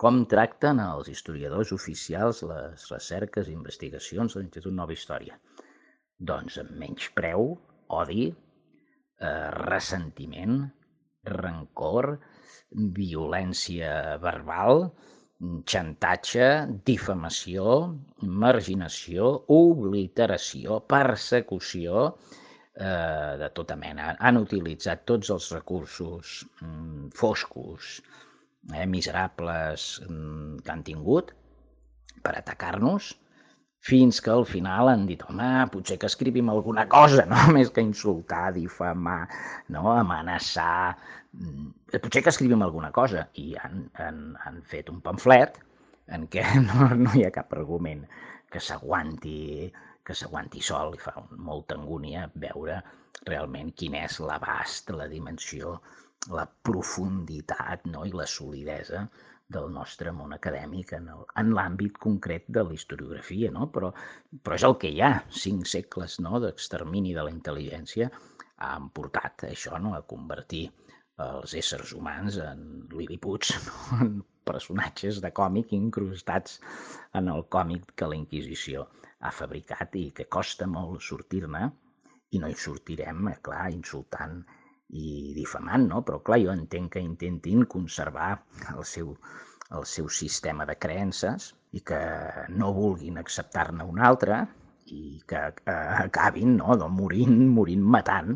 Com tracten els historiadors oficials les recerques i investigacions de l'Institut Nova Història? Doncs amb menyspreu, odi, ressentiment, rancor, violència verbal, xantatge, difamació, marginació, obliteració, persecució, de tota mena. Han utilitzat tots els recursos foscos, miserables que han tingut per atacar-nos, fins que al final han dit, home, potser que escrivim alguna cosa, no? Més que insultar, difamar, no? Amenaçar, potser que escrivim alguna cosa. I han fet un pamflet en què no hi ha cap argument que s'aguanti sol. I fa molta angúnia veure realment quin és l'abast, la dimensió, la profunditat, no? I la solidesa del nostre món acadèmic en l'àmbit concret de la historiografia, no? Però és el que hi ha. 5 segles, no?, d'extermini de la intel·ligència han portat això, no?, a convertir els éssers humans en liliputs, no?, en personatges de còmic incrustats en el còmic que la Inquisició ha fabricat i que costa molt sortir-ne, i no hi sortirem, clar, insultant i difamant, no? Però clar, jo entenc que intentin conservar el seu sistema de creences i que no vulguin acceptar-ne un altre i que acabin, no?, morint matant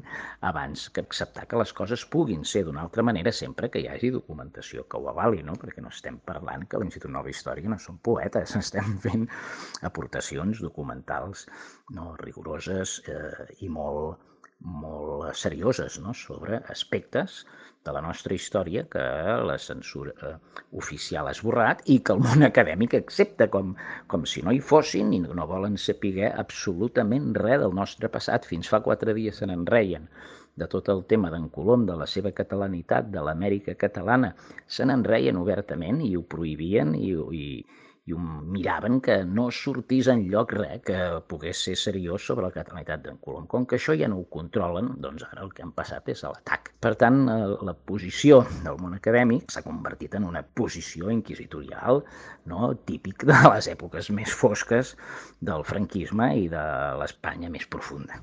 abans que acceptar que les coses puguin ser d'una altra manera, sempre que hi hagi documentació que ho avali, no? Perquè no estem parlant que l'Institut Nova Història no són poetes, estem fent aportacions documentals, no?, rigoroses i molt serioses, no?, sobre aspectes de la nostra història que la censura oficial ha esborrat i que el món acadèmic accepta com si no hi fossin i no volen saber absolutament res del nostre passat. Fins fa 4 dies se n'en reien de tot el tema d'en Colom, de la seva catalanitat, de l'Amèrica catalana. Se n'en reien obertament i ho prohibien i ho miraven que no sortís enlloc res que pogués ser seriós sobre la catalanitat d'en Colom. Com que això ja no ho controlen, doncs ara el que han passat és a l'atac. Per tant, la posició del món acadèmic s'ha convertit en una posició inquisitorial, no?, típic de les èpoques més fosques del franquisme i de l'Espanya més profunda.